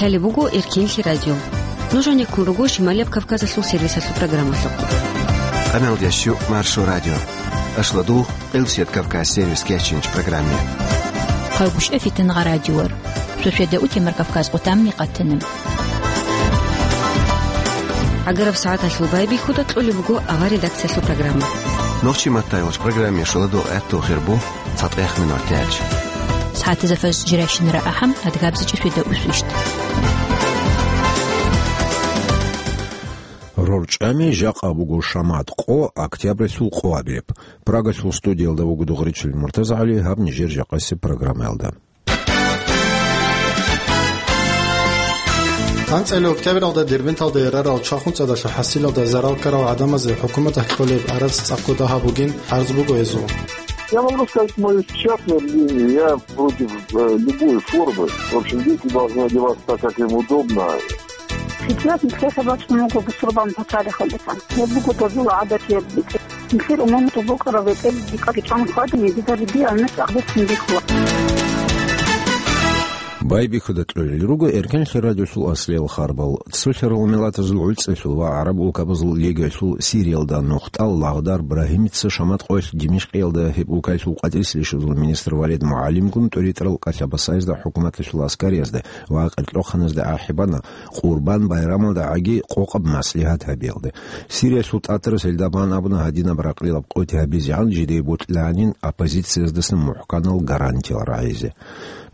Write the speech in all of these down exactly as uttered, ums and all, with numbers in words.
Гьале буго Эркенлъи радио. Нуж гӀенеккун руго Шималияб Кавказалъул сервисалъул программалъухъ. Къамел ящу Маршо радио. Ашладу Къилсият Кавказ сервис кечинч программе. Хъалгушев Фитнагъа радиор. Шошведа утемар Кавказ къутамни къатанаб. ГӀагараб сагӀаталъул байбихьуда кьолеб буго авар редакциялъул программа. Нохчи маттайолч программе шуладу гӀатту хирбу. ЦатӀех минут тяч. СагӀатазда фаз жирайщинара ахӀам, адгабзичӀи шведа усвищт. РорчӀами жакъа буго шамат къо, октябралъул къо абияб. Прагалъул студиялда вуго Дугъричил МуртазагӀали, гьаб нижер жакъасеб программаялда. АнцӀила октябралда Дербенталда ярарал чахунцӀадалъул хӀасилалда зарал ккарал гӀадамазе хӀукуматалъ кьолеб гӀарац цӀакъго дагьаб бугин гӀарз буго гьезул. Я могу сказать моё частное мнение. Я против, э, любой формы. В общем, дети должны одеваться так, как им удобно. Сейчас нилъеца бачӀун буго бусурбан паталихъалдасан. Гьеб буго дозул гӀадат, гьеб битӀи. Нилъер умумузул букӀараб бетӀер дикъаги чӀван хьвадани, дида рибиялъ гӀадат цин бихьула. Байбихьуда кьолел руго Эркенлъи радиолъул аслиял харбал. Цолъарал миллатазул гӀуцӀелъул ва гӀараб улкабазул лигиялъул Сириялда нухтӀал Лагъдар Брагьимица шамат къоялъ Димишкъиялда гьеб улкаялъул къватӀирсилищазул министр Валид МугӀалимгун тӀуритӀарал кӀалъабасайзда хӀукуматалъул аскариязда ва къиркьоханазда ахӀи бана Къурбан байрамалда гӀаги къокъаб маслигьат гьабиялда. Сириялъул тӀатарас гьелда бан абуна гьадинаб ракълилаб къоти гьабизегӀан жидее бутӀлъанин оппозицияздасан мухӀканал гарантиял рагӀизе.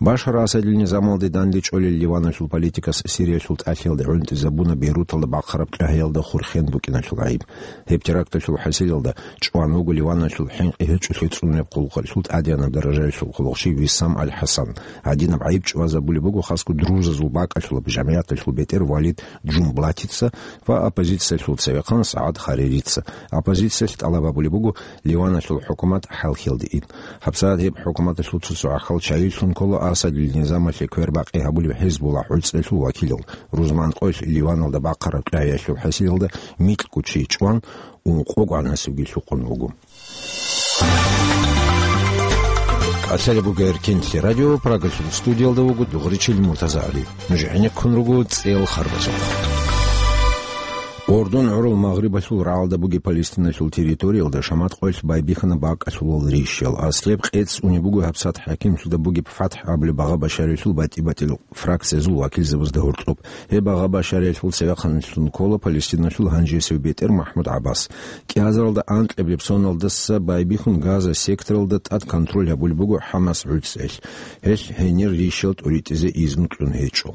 Башар Асадил низамалде данде чӀолел Ливаналъул политикас Сириялъул тӀалъиялда гӀунтӀизабуна Бейруталда бахъараб тӀагьиялда хурхен букӀиналъул гӀайиб. Гьеб теракталъул хӀасилалда чӀван вуго Ливаналъул хӀинкъи гьечӀолъи цӀунеб къуллукъалъул тӀадегӀанаб даражаялъул хъулухъчи Виссам аль-ХӀасан. Гьадинаб гӀайиб чӀвазабулеб буго хасго друзазул бакӀалъулаб жамигӀяталъул бетӀер Валид Джумблатица ва оппозициялъул цевехъан СагӀад Харирица. Оппозициялъ тӀалаб гьабулеб буго Ливаналъул хӀукумат хӀалхьиялде ин. ГьабсагӀат гьеб хӀукуматалъул цо-цо гӀахьал чайилъун ккола Асадил низамалъе квербакъи гьабулеб ХӀизбулла гӀуцӀелъул вакилал. Рузман къоялъ Ливаналда бахъараб тӀагьиялъул хӀасилалда микьго чи чӀван, ункъого гӀанасебги лъукъун вуго. КӀалъалеб буго Эркенлъи радио, Прагалъул студиялда вуго Дугъричил МуртазагӀали. Нуж гӀенеккун руго цӀел харбазухъ. Урдун гӀурул Магърибалъул рагӀалда бугеб Палестиналъул территориялда шамат къоялъ байбихьана бакӀалъулал рищал. Аслияб къец унеб буго гьабсагӀат хӀакимлъуда бугеб ФатхӀ абулеб багъа-башариялъул батӀи-батӀиял фракциязул вакилзабазда гьоркьоб. Гьеб багъа-башариялъул цевехъанлъун ккола Палестиналъул гьанжесев бетӀер МахӀмуд ГӀаббас. КӀиазаралда анкьабилеб соналдаса байбихьун Газа секторалда тӀад контроль гьабулеб буго ХӀамас гӀуцӀел. Гьелъ гьенир рищал тӀуритӀизе изну кьун гьечӀо.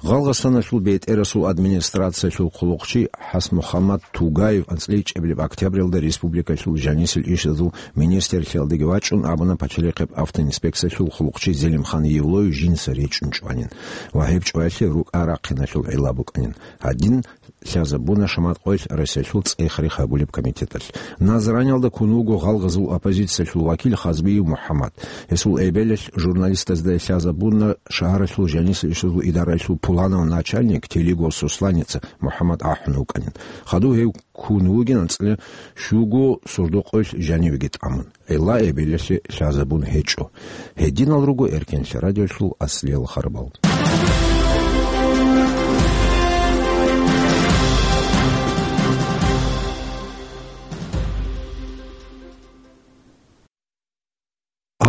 Гъалгъасаналъул бетӀерасул администрациялъул хъулухъчи ХӀасмухаммад Тугаев анцӀила ичӀабилеб октябралда республикалъул жанисел ишазул министрлъиялдаги вачӀун абуна пачалихъеб автоинспекциялъул хъулухъчи Зелимхан Евлоев жинца речӀчӀун чӀванин ва гьеб чӀваялъе рукӀа-рахъиналъул гӀилла букӀанин. Гьадин лъазабуна шамат къоялъ Россиялъул цӀех-рех гьабулеб комитеталъ. Назраниялда ккун вуго гъалгъазул оппозициялъул вакил Хазбиев МухӀаммад. Гьесул эбелалъ журналистазда лъазабуна шагьаралъул жанисел ишазул идараялъул пуланав начальник Телигов Сосланица МухӀаммад ахӀун вукӀанин. Хадув гьев ккун вугин анцӀила щуго сордо къоялъ жанивеги тӀамун. ГӀилла эбелалъе лъазабун гьечӀо. Гьединал руго Эркенлъи радиолъул аслиял харбал.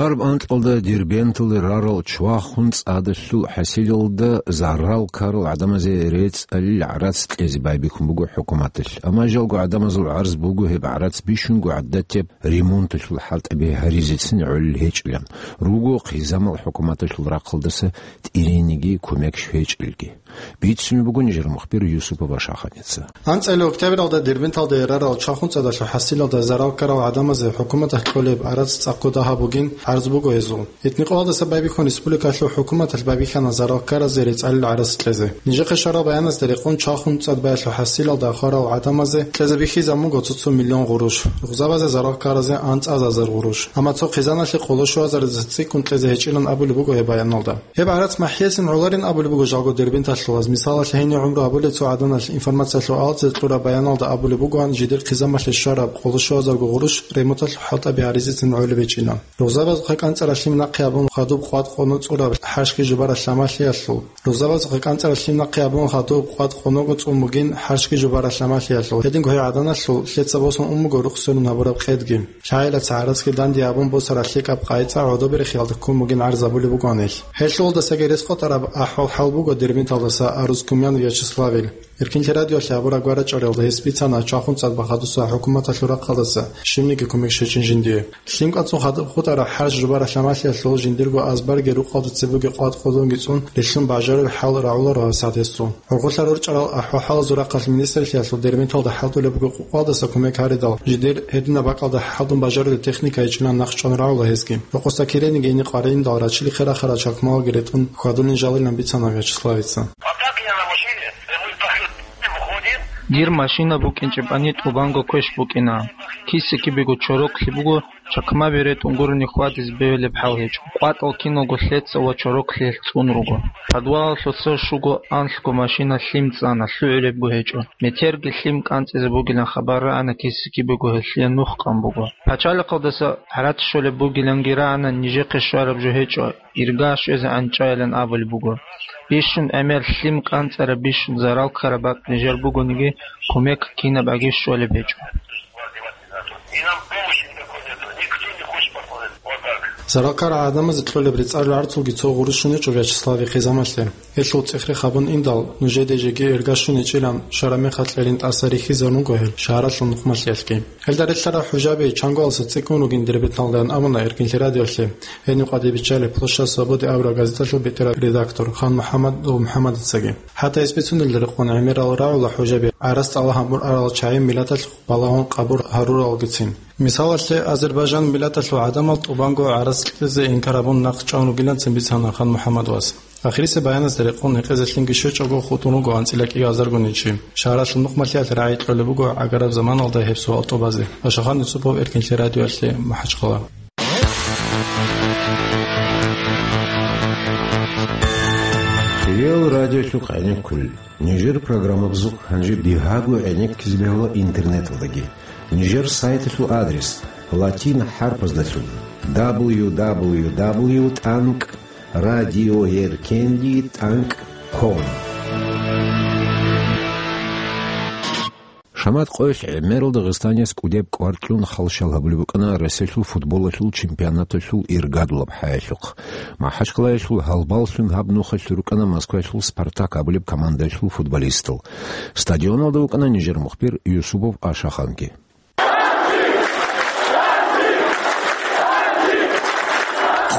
Гьарб анкьалда Дербенталде рарал чвахун цӀадалъул хӀасилалда зарал ккарал гӀадамазе рецӀалил гӀарац кьезе байбихьун буго хӀукуматалъ. Амма жалго гӀадамазул гӀарз буго гьеб гӀарац бищунго гӀадатияб ремонталъул хӀалтӀаби гьаризецин гӀолел гьечӀилан, руго хъизамал хӀукуматалъул рахъалдаса тӀирениги кумек щвечӀелги. Бицунеб буго нижер мухбир Юсупова Шаханица. АнцӀила октябралда Дербенталда ярарал чвахун цӀадалъул хӀасилалда зарал ккарал гӀадамазе хӀукуматалъ кьолеб гӀарац цӀакъго дагьаб бугин гӀарз буго гьезул. Этникъоялдаса байбихьун республикалъул хӀукуматалъ байбихьана зарал ккаразе рецӀалил гӀарац кьезе. Нижехъе щварал баяназда рекъон чвахун цӀад баялъул хӀасилалда хварал гӀадамазе кьезе бихьизабун буго цо-цо миллион гъурущ, рузабазе зарал ккаразе анцӀазазар гъурущ. Амма цо хъизаналъе къоло щуазаридаса цӀикӀкӀун кьезе гьечӀилан абулеб буго гьеб баяналда. Гьеб гӀарац махӀиязин гӀоларин абулеб буго жалго дербенталъулаз. Мисалалъе, гьенив гӀумру гьабулел цо гӀаданалъ информациялъул алцӀе кьураб баяналда абулеб бугоан, жидер хъизамалъе щвараб къоло щуазарго гъурущ ремонталъул хӀалтӀаби гьаризецин гӀолеб гьечӀилан. Рузабаз ХъекъанцӀаралъим нахъе абун хадуб къват къоно цӀураб хӀарщги жубаралъ амалъиялъул. Рузабазухъе кӀанцӀаралъим нахъе абун хадуб къват къоного цӀун бугин хӀарщги жубаралъ амалъиялъул. Гьединго гьей гӀаданалъул лъеца босун ун буго рухсунун гьабураб къедги. ЛъагӀелаца гӀарацги данде абун босаралъе кӀаб къайцӀа гӀодоберехиялда ккун бугин гӀарзабулеб бугоанил. Гьелъулдаса герес къотӀараб ахӀвал-хӀал буго Дербенталдаса Арузкумян Вячеславил. Эркинлъи радиоялъе гьабураб гварачӀаралда гьес бицана чвахун цӀад бахадуса хӀукуматалъул рахъалдаса щибниги кумек щвечӀин жиндие. Лъим кӀанцӀун хадуб хутӀараб хӀарщ жубаралъ амалъиялъул жиндирго азбарги рукъалда цебеги къват къодонги цӀун релълъун бажарулеб хӀал рагӀуларо гьабсагӀат гьесул. ГӀурхъулъа рорчӀарал ахӀвал-хӀалазул рахъалъ министрлъиялъул Дербенталда хӀалтӀулеб буго къукъалдаса кумек гьаридал, жидер гьединаб бакӀалда хӀалтӀун бажарулеб техника гьечӀилан нахъ чӀван рагӀула гьезги. Рокъоса кирениги гьениб къваригӀиндал рачили хера-хера чакмалги ретӀун хьвадулин жалилан бицана Вячеславица. А так я на машине, мы пошли, выходим. Дир машина букӀинчӀебани тӀубанго квеш букӀина. Киса-кибего чороклъи буго, чакмаби ретӀун гурони хьвадизе бегьулеб хӀал гьечӀо. КъватӀал киналго лъеца ва чороклъиялъ цӀун руго. Подвалалъуса щуго анлъго машина лъим цӀана, лъугӀулебго гьечӀо. Метерги лъим кӀанцӀизе бугилан хабар рагӀана, киса-кибего гьелъие нух къан буго. Пачалихъалдаса гӀарац щолеб бугиланги рагӀана, нижехъе щвараб жо гьечӀо, ирга щвезе анчӀайилан абулеб буго. Бищун гӀемер лъим кӀанцӀараб, бищун зарал ккараб бакӀ нижер бугониги, кумек кинаб аги щолеб гьечӀо. Зарал ккарал гӀадамазе кьолеб рецӀал рагӀарцулги цо гъурущун гьечӀо Вячеславихъе замалъе. Гьелъул цӀехрех гьабун индал, нужеде жеги ирга щун гьечӀилан, шараб мехалъ кьелин тӀаса рихьизарун руго гьел шагьаралъул нухмалъиялъги. Гьелда релълъарал хӀужаби чангоялдаса цӀикӀкӀун ругин Дербенталдаан абуна Эркинлъи радиоялъе, гьенив къватӀибиччалеб Площадь Свободы абураб газеталъул бетӀерав редактор Хан МухӀаммад МухӀаммадицаги. ХӀатта гьес бицунелда рекъон гӀемерал рагӀула хӀужаби гӀарац тӀалаб гьабун арал чагӀи миллаталъухъ балагьун къабул гьаруралгицин. Мисалалъе, Азербайжан миллаталъул гӀадамал тӀубанго гӀарац кьезе инкар гьабун нахъ чӀван ругиланцин бицана Хан МухӀаммад вас. Ахирисеб баяназда рекъон гьекъезе лъимги щвечӀого хутӀун руго анцӀила кӀиазаргун гьечӀи. Шагьаралъул нухмалъиялъ рагӀи кьолеб буго гӀагараб заманалда гьеб суал тӀубазе. Ашахан Юсупов, Эркинлъи радиоялъе, МахӀачхъала. Риал радиолъухъ гӀенеккулел. Нижер программабазухъ гьанже бигьаго гӀенеккизе бегьула интернеталдаги. Нижер сайталъул адрес латин хӀарпаздалъун: дабл ю дабл ю дабл ю тӀанкӀ радиоеркенлъи тӀанкӀ ком. Шамат къоялъ гӀемерал дагъистанияс кӀудеб кӀвар кьун халщал гьабулеб букӀана Россиялъул футболалъул чемпионаталъул иргадулаб хӀаялъухъ. МахӀачхъалаялъул гьалбаллъун гьаб нухалъ рукӀана Москваялъул «Спартак» абулеб командаялъул футболистал. Стадионалда вукӀана нижер мухбир Юсупов Ашаханги.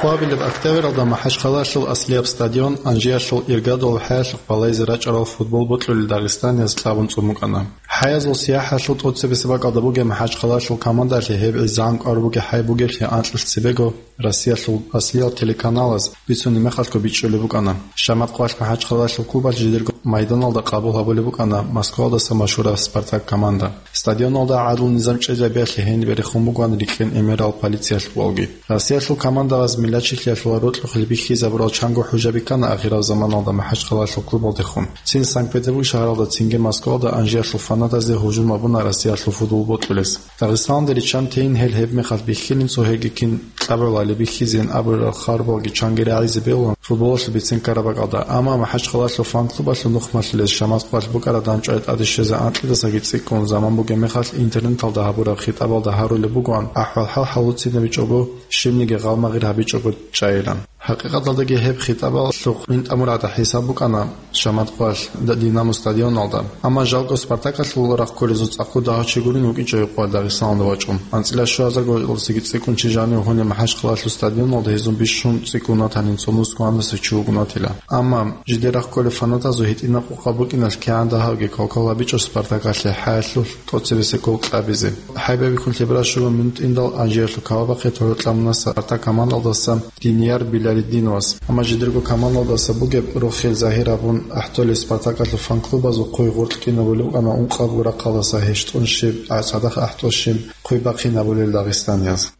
Къоабилеб октябралда МахӀачхъалаялъул аслияб стадион Анжиялъул иргадулаб хӀаялъухъ балайзе рачӀарал футбол бокьулел дагъистанияз кьабун цӀун букӀана. ХӀаязул сияхӀалъул тӀоцебесеб бакӀалда бугеб МахӀачхъалаялъул командалъе гьеб гӀезегӀан кӀвар бугеб хӀай бугеблъи анкьилъ цебего Россиялъул аслиял телеканалаз бицунеб мехалъго бичӀчӀулеб букӀана. Шамат къоялъ МахӀачхъалаялъул клубалъ жидерго майданалда къабул гьабулеб букӀана Москвалдаса машгьураб «Спартак» команда. Стадионалда гӀадлу-низам чӀезабиялъе гьениб рехун бугоан рикӀкӀин гӀемерал полициялъ валги. Россиялъул командалъаз миллатчилъиялъул рокьухъе бихьизабурал чанго хӀужаби ккана ахираб заманалда МахӀачхъалаялъул клубалдехун. Цин Санкт-Петербург шагьаралда, цинги Москвалда Анжиялъул фанатазе гьужум гьабуна Россиялъул футбол бокьулес. Дагъистаналда риччанте ин гьел гьеб мехалъ бихьилин цогьеги кин кьабугӀлали бихьизейин абурал хабаралги чанги рагӀизе бегьулаан футболалъул бицен ккараб бакӀалда, амма МахӀачхъалаялъул фан-клубалъул нухмалъилез Шамат къоялъ букӀараб дандчӀвай тӀаде щвезе анкьидасаги цӀикӀкӀун заман бугеб мехалъ интернеталда гьабураб хитӀабалда гьарулеб бугоан ахӀвал-хӀал гьалуцинабичӀого, щибниги гъалмагъир гьабичӀого чӀайилан. ХӀакъикъаталдаги гьеб хитӀабалъухъ мин тӀамургӀадаб хӀисаб букӀана Шамат къоялъ Динамо стадионалда. Амма жалго Спартакалъул рахъ кколезул цӀакъу дагьав чи гурин вукӀинчӀо гьеб къоялъ Дагъистаналда вачӀун. АнцӀила щуазарго гьелдасаги цӀикӀкӀун чи жанив гьунеб МахӀачхъалаялъул стадионалда гьезун бищун цӀикӀкӀун ватанин цо нусгу гьандасе чи вугун ватила. Амма жидер рахъ кколел фанатазул гьитӀинаб къокъаб букӀиналъ кигӀан дагьавги кал-кал гьабичӀо Спартакалъе хӀаялъулъ тӀоцебесеб гол кьабизе. ХӀайбабихьун лъеберал щуго минут индал Анжиялъул кавабахъе тӀорокьамуна Спартак командалдаса Динияр Билалидиновас. Амма жидерго командалдаса бугеб рохел загьир гьабун ахӀдолеб Спартакалъул фан-клубазул хъуй гъоркь кӀинабулеб букӀана ункъабго рахъалдаса гьещтӀун щиб, цадахъ ахӀдолщиб хъуй бахъинабулел дагъистанияз.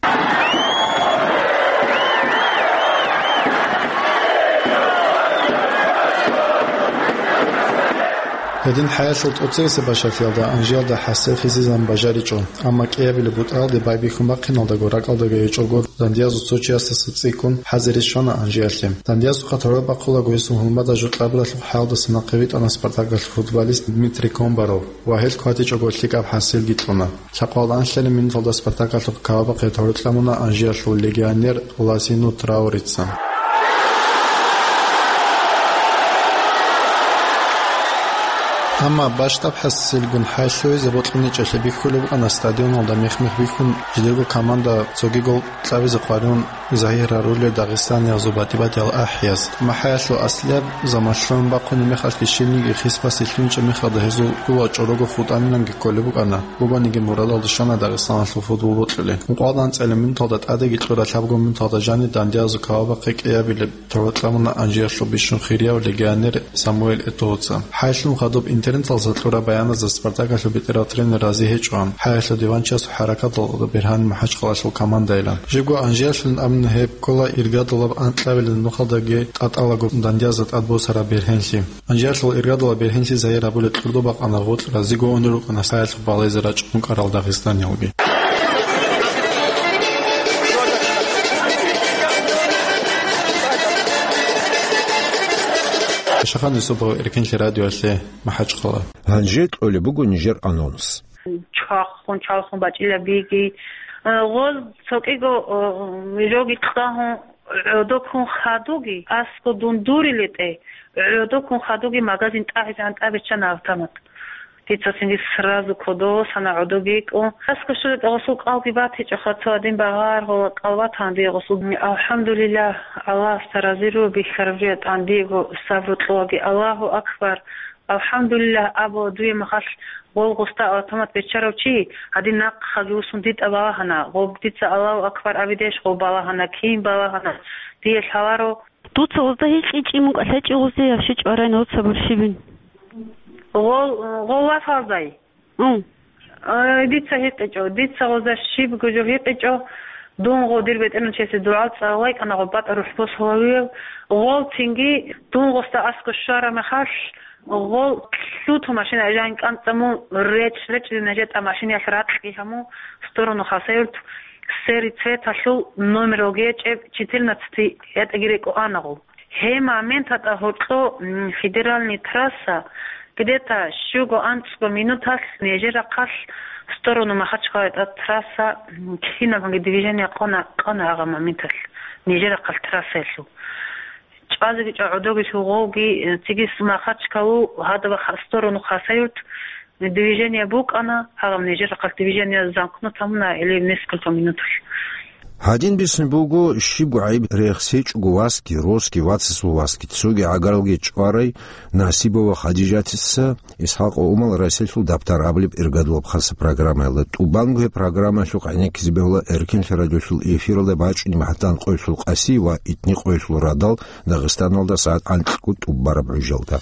Гьедин хӀаялъул тӀоцебесеб бащалъиялда Анжиялда хӀасил хисизан бажаричӀо, амма кӀиабилеб бутӀаялде байбихьун бахъиналдаго ракӀалдаго гьечӀого дандиязул цо чиясдаса цӀикӀкӀун хӀазире щвана Анжиялъе. Дандиязухъа тӀораб бахъулаго гьесул гьулмада жо кьабулалъухъ хӀаялдаса нахъе витӀана Спартаклъул футболист Дмитрий Комбаров ва гьел хьвадичӀого лъикӀаб хӀасилги кьуна. Лъабкъоялда анлъабилеб минуталда Спартаклъухъ кавабахъе тӀораб кьамуна Анжиялъул легионер Ласину Траурица. Амма бащдаб хӀасилгун хӀай лъугьизе бокьуничӀелъе бихьулеб букӀана стадионалда мех-мех бихьун, жидерго команда цоги гол кьабизе хъваригӀун загьир гьарулел дагъистаниязул батӀи-батӀиял ахӀияз. Амма хӀаялъул аслияб заман лъугӀун бахъунеб мехалъги щибниги хисбасе лъугьинчӀеб мехалда гьезул хӀула чӀорого хутӀаниланги кколеб букӀана. Бугониги мурадалда щвана дагъистаналъул футбол бокьулел. Ункъоялда анцӀила минуталда тӀадеги кьураб лъабго минуталда жаниб дандиязул кавабахъе кӀиабилеб тӀораб кьамуна Анжиялъул бищун хирияб легионер Самуэль Этоца. ХӀай лъугьун хадуб интернеталдаса кьураб баяназда Спартаклъул бетӀерав тренер рази гьечӀо, хӀаялъул диванчиясул хӀаракаталда бергьани МахӀачхъалалъул командайилан. Жибго Анжиялъулин абуни гьеб ккола иргадулаб анкьабилеб нухалдаги тӀатӀалаго дандиязда тӀадбосараб бергьенлъи. Анжиялъул иргадулаб бергьенлъи загьир гьабулеб кьурдо бакъана гъоркь разиго унел рукӀана хӀаялъухъ балайзе рачӀун кӀарал дагъистаниялги. Шахан Юсупов, Эркенлъи радиоялъе, МахӀачхъала. Гьанже кьолеб буго нижер анонс. Чвахун, чвалхун бачӀила биги. Гъоз цо кӀиго, э, жоги кьагьун, гӀодо ккун хадуги, аскӀо дундурилетӀе, гӀодо ккун хадуги магазин тӀагӀизегӀан тӀабиччана автомат. Дица цинги сразу кодосана гӀодо бикӀун. АскӀо щвелетӀе гъосул кӀалги батичӀоха, цо гьадин багъар гъола кӀал батан дие гъосул. Алхамдулиллагь, Аллагьасда разиру бихьараб жо ятӀан диего сабру кьоаги. Аллагьу акбар! Алхамдулиллагь абула дуе махалъ гъол гъосда автомат беччарав чи, гьадин нахъаги вуссун дитӀа балагьана, гъоб дица Аллагьу акбар абидеш гъов балагьана, кин балагьана, дие лъаларо. Дуца гъозда гьикъичӀин мукӀа лъечӀи гъозие гьаб щи чӀварай нуца бурщибин? Гъол, гъол васалдай? Ун. Ай, дица гьикъичӀо, дица гъозда щибго жо гьикъичӀо, дун гъо дир бетӀерначиясе дугӀал цӀалайкӀана гъо батӀа рухӀ босулавиев, гъол цинги дун гъосда аскӀо щвара мехалъ, гъол лъуту машина жан кӀанцӀа мун речӀ-речӀ дина жетӀа машинаялъ ракьги гьаму сторону Хасавюрт, сери цветалъул номер вогечӀеб четырнадцать ятӀаги рекӀо ана гъо. Гьеб моменталда гьоркьо, м, федеральный трасса, где-то щуго-анцӀго минуталъ нижер рахъалъ сторону Махачкъаладе трасса, м, кинабанги движение къона, къона гьагъа моменталъ нижер рахъалъ трассаялъул. ЧӀвазеги чӀа гӀодоги лъугъовги, э, цигис Махачкъалу гьадаб ха-, сторону Хасавюрт движение букӀана, гьагъаб нижер рахъалъ движение замкнут гьамуна или несколько минуталъ. Гьадин бицун буго, щибго гӀайиб рехсечӀого васги, росги, вацасул васги, цоги гӀагаралги чӀварай Насибова Хадижатица, Исхакъ ва Умал Расилъул дабтар абулеб иргадулаб хасаб программаялда. ТӀубанго гьеб программаялъухъ гӀенеккизе бегьула Эркенлъи радиолъул эфиралда бачӀунеб гьатӀан къоялъул къаси ва итни къоялъул радал Дагъистаналда сагӀат анкьго тӀубараб гӀужалда.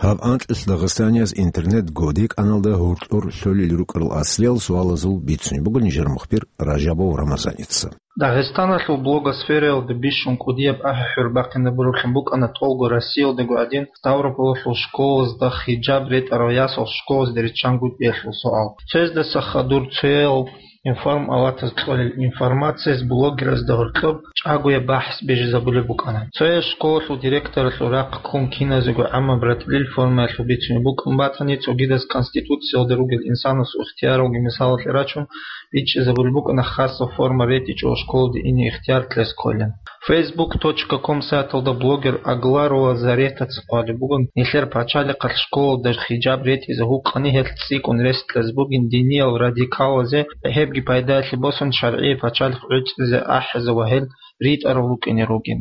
Гьаб анкьилъ Дагъистанияс интернет-годекӀаналда гьоркьор лъолел рукӀарал аслиял суалазул бицунеб буго нижер мухбир Ражабов Рамазаница. Дагъистаналъул блогосфераялда бищун кӀудияб ахӀи-хӀур бахъинабураллъун букӀана тӀолго Россиялдаго гӀадин Ставрополалъул школазда хижаб ретӀарал ясал школазде риччан гутӀиялъул суал. Цояздаса хадур цоял информалатаз кьолел информациялъ блогеразда гьоркьоб чӀагояб бахӀс бижизабулеб букӀана. Цояз школалъул директоралъул рахъ ккун киназего гӀаммаб ратӀлил формаялъул бицунеб букӀун батани, цогидаз Конституциялда ругел инсанасул ихтияралги мисалалъе рачун, бичӀчӀизабулеб букӀана хасаб форма ретӀичӀого школалде ине ихтияр кьезе кколин. Facebook точка com сайталда блогер Агларова Заретаца хъвалеб буго, нилъер пачалихъалъ школалда хижаб ретӀизе гьукъани, гьелъ цӀикӀкӀун рес кьезе бугин диниял радикалазе, гьебги пайдаялъе босун, шаргӀиял пачалихъ гӀуцӀизе ахӀизе ва гьел ритӀарал рукӀине ругин.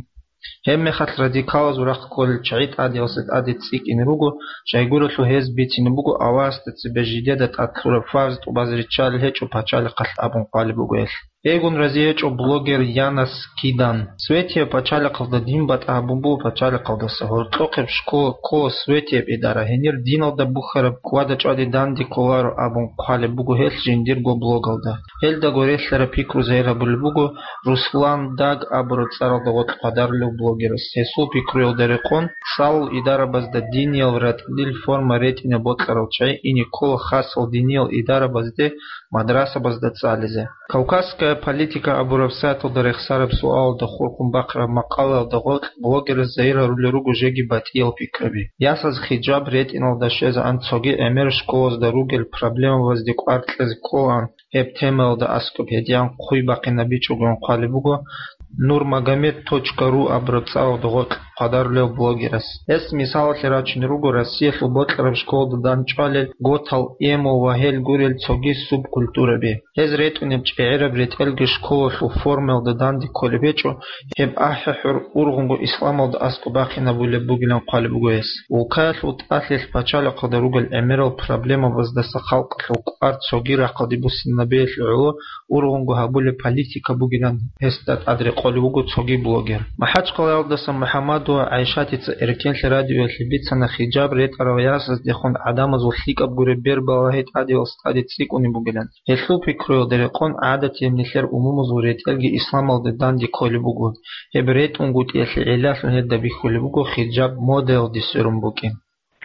Гьеб мехалъ радикалазул рахъ кколел чагӀи тӀадегӀасе тӀаде цӀикӀкӀине руго, щайгурелъул гьез бицине буго Аллагьасда цебе жидеда тӀад лъураб фарз тӀубазе риччалел гьечӀо пачалихъалъ абун хъвалеб буго гьелъ. Бегун разиячӀо блогер Янас Кидан. Светияб пачалихъалда дин батӀа гьабун буго пачалихъалдаса. Гьоркьохъеб школа ккола Светияб идара, гьенир диналда бухьараб кӀвада-чӀвади данде кколаро абун хъвалеб буго гьелъ жиндирго блогалда. Гьелдаго релълъараб пикру загьир гьабулеб буго Руслан Даг абураб цӀаралда гъоркь хъвадарулев блогерас. Гьесул пикруялда рекъон, лъалал идарабазда диниял ратӀлил форма ретӀине бокьарал чагӀи ине ккола хасал диниял идарабазде, мадрасабазда цӀализе. «Кавказская политика» абураб сайталда рехсараб суалалда хурхун бахъараб макъалаялда гъоркь блогерас загьир гьарулел руго жеги батӀиял пикраби. Ясаз хиджаб ретӀиналда щвезегӀан цоги гӀемер школазда ругел проблемабазде кӀвар кьезе кколаан, гьеб темаялда аскӀоб гьедигӀан хъуй бахъинабичӀогоян хъвалеб буго Нурмагомед точка ру абураб цӀаралда гъоркь хъвадарулев блогерас. Гьес мисалалъе рачунел руго Россиялъул бокьараб школалда дандчӀвалел готал эмо ва гьел гурел цоги субкультураби. Гьез ретӀунеб чӀегӀераб ретӀелги школалъул формаялда данде кколеб гьечӀо, гьеб ахӀи-хӀур ургъунго исламалда аскӀоб бахъинабулеб бугилан хъвалеб буго гьес. Улкаялъул тӀалъилъ пачалихъалда ругел гӀемерал проблемабаздаса халкъалъул кӀвар цоги рахъалде буссинабиялъе гӀоло ургъунго гьабулеб политика бугилан гьесда тӀад рекъолев вуго цоги блогер. МахӀачхъалаялдаса МухӀаммадова ГӀайшатица Эркенлъи радиоялъе бицана хиджаб ретӀарал ясаздехун гӀадамазул лъикӀаб гуреб бер балагьи тӀадевал стаде цӀикӀкӀунеб бугилан. Гьелъул пикруялда рекъон гӀадатияб нилъер умумузул ретӀелги исламалде данде кколеб буго. Гьеб ретӀунгутӀиялъе гӀиллалъун гьелда бихьулеб буго хиджаб модаялде сверун букӀин.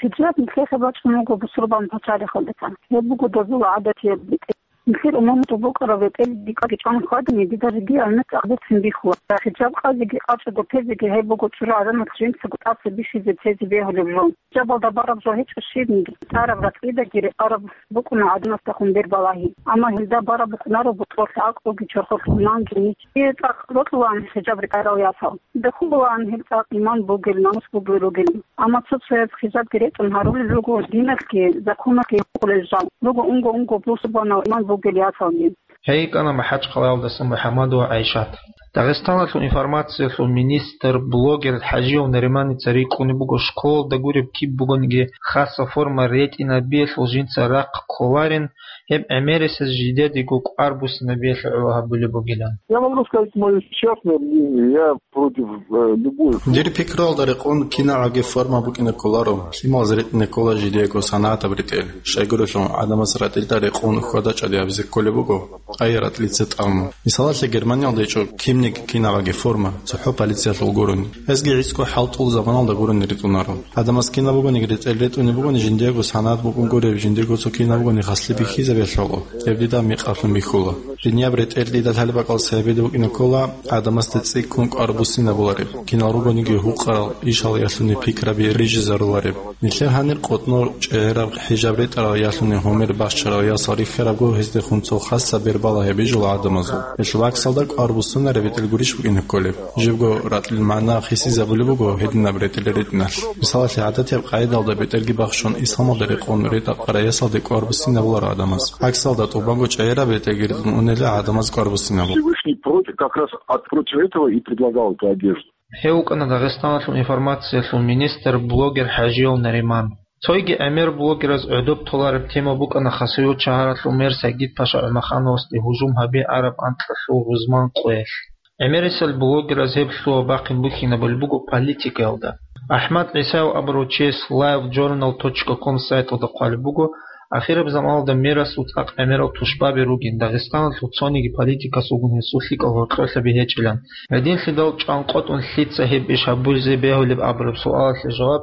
Хиджаб нилъехъе бачӀун вуго бусурбан пачалихъалдаса. Гьеб буго дозул гӀадатияб бетӀер. Нилъер умумузул букӀараб бетӀер дикъаги чӀван хьвадани, дида жеги гьалмагъ гӀадатцин бихьула. Хиджаб къазеги къачӀого тезеги гьеб буго чӀужугӀаданалъ жинцаго тӀаса бихьизе тезе бегьулеб жо. Хиджабалда бараб жо гьечӀо щибниги, цӀараб ракьидаги рекъараб букӀуна гӀадамаздехун бер балагьи. Амма гьелда бараб букӀунаро бутӀрулъ гӀакълуги чорхолъ иманги ничие цӀакъ бокьулаан хиджаб ретӀарал ясал. Бехулаан гьел цӀакъ иман бугел, намус бугел ругел. Амма цо-цояз хиджабги ретӀун гьарулел руго диналъги, законалъги гьукъулел жал. Руго унго-унго бусурбанал иман бугел ясалги. Гьей йикӀана МахӀачхъалаялдаса МухӀаммадова ГӀайшат. Дагъистаналъул информациялъул министр, блогер ХӀажиев Нариманица рикӀкӀунеб буго школалда гуреб киб бугониги хасаб форма ретӀинабиялъул жинца рахъ кколарин, гьеб гӀемерисез жидедего кӀвар буссинабиялъе гӀоло гьабулеб бугилан. Я могу сказать моё частное мнение, я против, э, любой формы. Дир пикруялда рекъон кинабгӀаги форма букӀине кколаро, лъималаз ретӀине ккола жидеего санагӀатаб ретӀел. Щайгурелъул гӀадамаз ратӀилда рекъон хьвада-чӀвади гьабизе кколеб буго, ай ратӀлица тӀаму. Мисалалъе, Германиялда гьечӀо кимниги кинабгӀаги форма, цохӀо полициялъул гурони. Гьезги гӀицӀго хӀалтӀул заманалда гурони ритӀунаро. ГӀадамаз кинаб бугониги ретӀел ретӀунеб бугони, жиндиего санагӀат букӀун гуреб, жиндиего цо кинаб бугони хаслъи бихьизабиялъ гьоло, гьеб дида мекъаблъун бихьула. Жинияб ретӀел дида лъалеб бакӀалъ цебеде букӀине ккола гӀадамазда цӀикӀкӀун кӀвар буссинабулареб, кинал ругониги гьукъарал ишалъ ялъуни пикраби рижизарулареб. Нилъер гьанир къотӀнор чӀегӀераб хӀижаб ретӀарал ялъуни гьумер бахчарал ясал рихьарабго гьездехун цо хасаб бер балагьи бижула гӀадамазул. Гьелъул гӀаксалда кӀвар буссунареб бетӀер гурищ букӀине кколеб? Живго ратӀлил магӀна хисизабулеб буго гьединаб ретӀел ретӀиналъ. Мисалалъе, гӀадатияб къагӀидалда бетӀерги бахчун, исламалда рекъон ретӀа-къара ясалде кӀвар буссинабуларо гӀадамаз. ГӀаксалда тӀубанго чӀегӀераб бетӀерги ретӀун унела гӀадамаз кӀвар буссинабула. Всевышний против, как раз от, против этого и предлагал эту одежду. Гьев вукӀана Дагъистаналъул информациялъул министр, блогер ХӀажиев Нариман. Цойги гӀемер блогераз гӀодоб толареб тема букӀана Хасавюрт шагьаралъул мэр Сагид-Паша ГӀумахановасде гьужум гьаби араб анкьалъул рузман къоялъ. ГӀемерисел блогераз гьеб лъугьа-бахъин бухьинабулеб буго политикаялда. АхӀмад ГӀисаев абурав чияс лайв джорнал точка ком сайталда хъвалеб буго, ахираб заманалда мерасул цӀакъ гӀемерал тушбаби ругин, Дагъистаналъул цониги политикас вугин гьесул лъикӀал гьоркьолъаби гьечӀилан. Гьединлъидал чӀванкъотӀун лъица гьеб иш гьабулзе бегьулеб абураб суалалъе жаваб,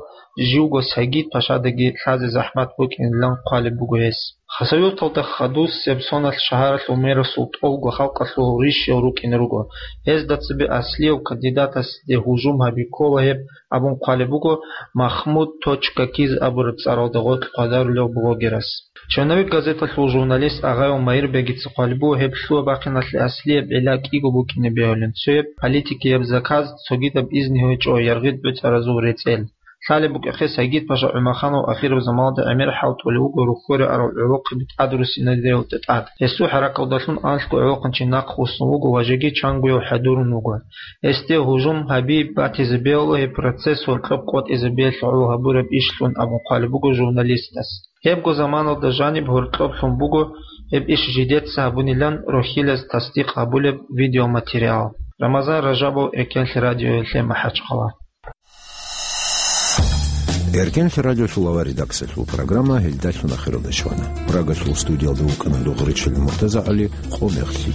живго Сагид-Пашадаги лъазе захӀмат букӀинилан хъвалеб буго гьес. Хасавюрталда хадусеб соналъ шагьаралъул мерасул тӀолго халкъалъул рищал рукӀине руго. Гьезда цебе аслияв кандидатасде гьужум гьаби ккола гьеб абун хъвалеб буго Махмуд точка киз абураб цӀаралда гъоркь хъвадарулев блогерас. «Черновик» газеталъул журналист Агъаял Майирбегица хъвалеб буго гьеб лъугьа-бахъиналъе аслияб гӀилла кӀиго букӀине бегьулин: цояб политикияб заказ, цогидаб изни гьечӀо яргъид бицаразул рецӀел. Лъалеб букӀахъе, Сагид-паша ГӀумаханов ахираб заманалда гӀемер хӀалтӀулев вуго рухьоре арал гӀолохъаби тӀадруссинариялда тӀад. Гьесул хӀаракалдалъун анлъго гӀолохъанчи нахъ вуссун вуго ва жеги чангояв хӀадурун вуго. Гьесде гьужум гьаби батизе бегьула гьеб процесс гьоркьоб къотӀизе бегьлъи гӀоло гьабураб ишлъун абун хъвалеб буго журналистас. Гьебго заманалда жаниб гьоркьоблъун буго гьеб иш жидеца гьабунилан рохьилаз тасдикъ гьабулеб видеоматериал. Рамазан Ражабов, Эркенлъи радиоялъе МахӀачхъала. Эркенлъи радиолъул авар редакциялъул программа гьелдалъун ахиралде щвана. Прагалъул студиялда вукӀана Дугъричил МуртазагӀали, къо мехлъи.